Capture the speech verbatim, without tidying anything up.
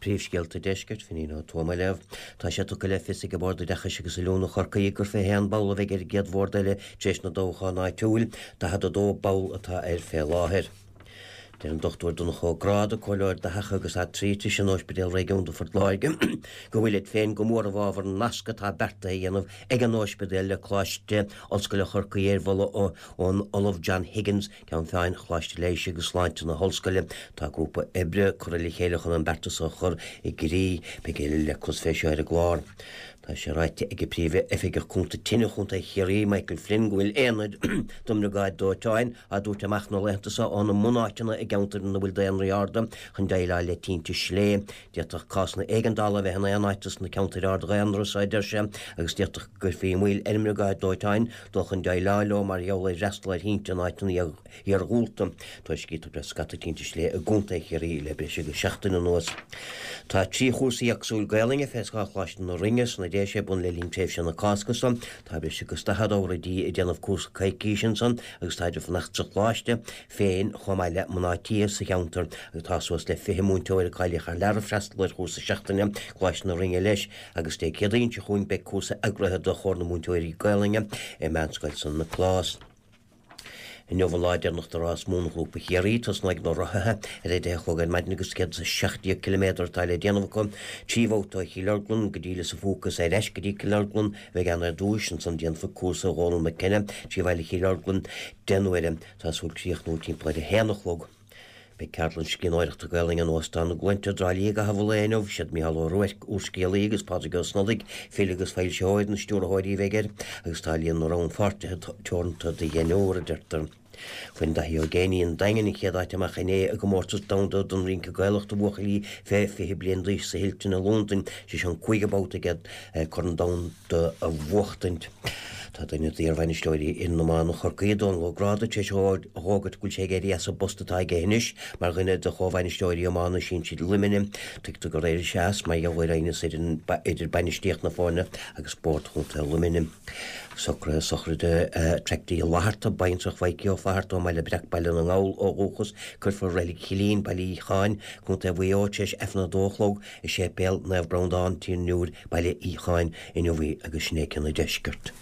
Príomhscéalta Deiscirt, Finín Ó Tuama á léamh. Tá sé tugtha le fios ag Bord Oideachais agus Oiliúna Chorcaí gur fiche haon ball a bheidh ar an gcéad bhord eile tar éis na dtoghchán áitiúil, daichead a dó ball atá air fé láthair. Deir an Dochtúir Donncha Ó Gráda, Comhairleoir Dathach agus Aitrítis in Ospidéal Réigiúnda Phort Láirge, go bhfuil siad féin go mór i bhfabhar an nasc atá beartaithe a dhéanamh ag an ospidéal le Coláiste Ollscoile Chorcaí ar mholadh ón Ollamh John Higgins, Ceann Feadhain Choláiste Leighis agus Sláinte na hOllscoile. Tá grúpa oibre curtha le chéile chun an beartas a chur i gcrích. Beidh a thuilleadh le clos fé seo ar an gclár. Tá sé ráite ag Príomh-Oifigeach Cúnta Tine Chontae Chiarraí, Michael Flynn, go bhfuil aonaid don mBriogáid Dóiteáin á dtabhairt amach na laethanta seo óna mbunáiteanna i gceantair ina bhfuil daonraí arda chun déileáil le tinte slé. D'fhéadfadh cásanna éigeandála a bheith in aon áit sna ceantair ard-dhaonra seo, a deir sé, agus d'fhéadfadh go gcuirfí moill ar an mBriogáid Dóiteáin dul chun déileáil leo mar gheall ar fhreastal ar thinte in áiteanna iargúlta. Tuairiscítear go raibh scata tinte slé i gContae Chiarraí le breis agus seachtain anuas. Tá trí chúrsa éagsúil Gaelainne fé scáth Choláiste na Rinne sna Déise ar bun le linn tréimhse na Cásca seo. Tá breis agus daichead oidí ag déanamh cúrsa coicíse ansan agus táid ag fanacht sa choláiste féin chomh maith le mná tí sa cheantar agus tá suas le fiche múinteoir a cáilíodh thar lear ag freastal ar chúrsa seachtaine Choláiste na Rinne leis agus Dé Céadaoin seo chugainn beidh cúrsa eagraithe do Chomhar na Múinteoirí Gaelainne i Meánscoil San Nioclás. Inniu an lá deireanach de rás Mhónghrúpa Chiarraí, tosnóidh na rothaithe ar a deich a chlog ar maidin agus céad is a seacht déag ciliméadar atá le déanamh acu, trí bhabhta ó Chill Orglan go dtí Lios an Phúca is ar ais go dtí Cill Orglan a bheidh ann ar dtúis, ansan déanfar cúrsa Dhónal McKenna trí bhaile Chill Orglan deich n-uaire. Tá súil críochnú timpeall ar a haon a chlog. Beidh ceardlann scríbhneoireachta Gaelainne in Óstán na gCluainte i dTrá Lí i gcaitheamh an lae inniu. Siad Mícheál Ó Ruairc, úrscéalaí, agus Pádraig Ó Snodaigh, file agus foilsitheoir, na stiúrthóirí a bheidh air, agus tá líon na rannpháirtithe teoranta do dheichniúr, a deirtear. Bhain Daithí Ó Géibheannaigh an Daingean an chéad áit amach inné i gcomórtas domhanda don rince Gaelach do bhuachaillí fé fiche bliain d'aois sa Hilton i Londain. Sé seo an cúigiú babhta aige Corn Domhanda a bhuachtaint. Tá duine d'iarbhainisteoirí fhoireann iomána Chorcaí, Dónal Ó Gráda, tar éis a fhógairt go bhfuil sé ag éirí as an bpost atá aige anois mar dhuine de chomhbhainisteoirí iomána sinsir Luimnigh. Tuigtear gur éirigh sé as mar gheall ar aighneas idir bainistíocht na foirne agus Bord Chontae Luimnigh. Socruithe sochraide Tracty Uí Fhlatharta, baintreach Mhaidhcí Ó Flatharta ó mBaile Breac, Baile na nGall ó dhúchas, cuirfear i Reilig Chillín, Baile Fhiacháin, Contae Mhaigh Eo, tar éis Aifreann a dó a chlog i Séipéal Naomh Breandán, Tír an Iúir, Baile Fhiacháin, inniu í agus sin é cionn an deiscirt.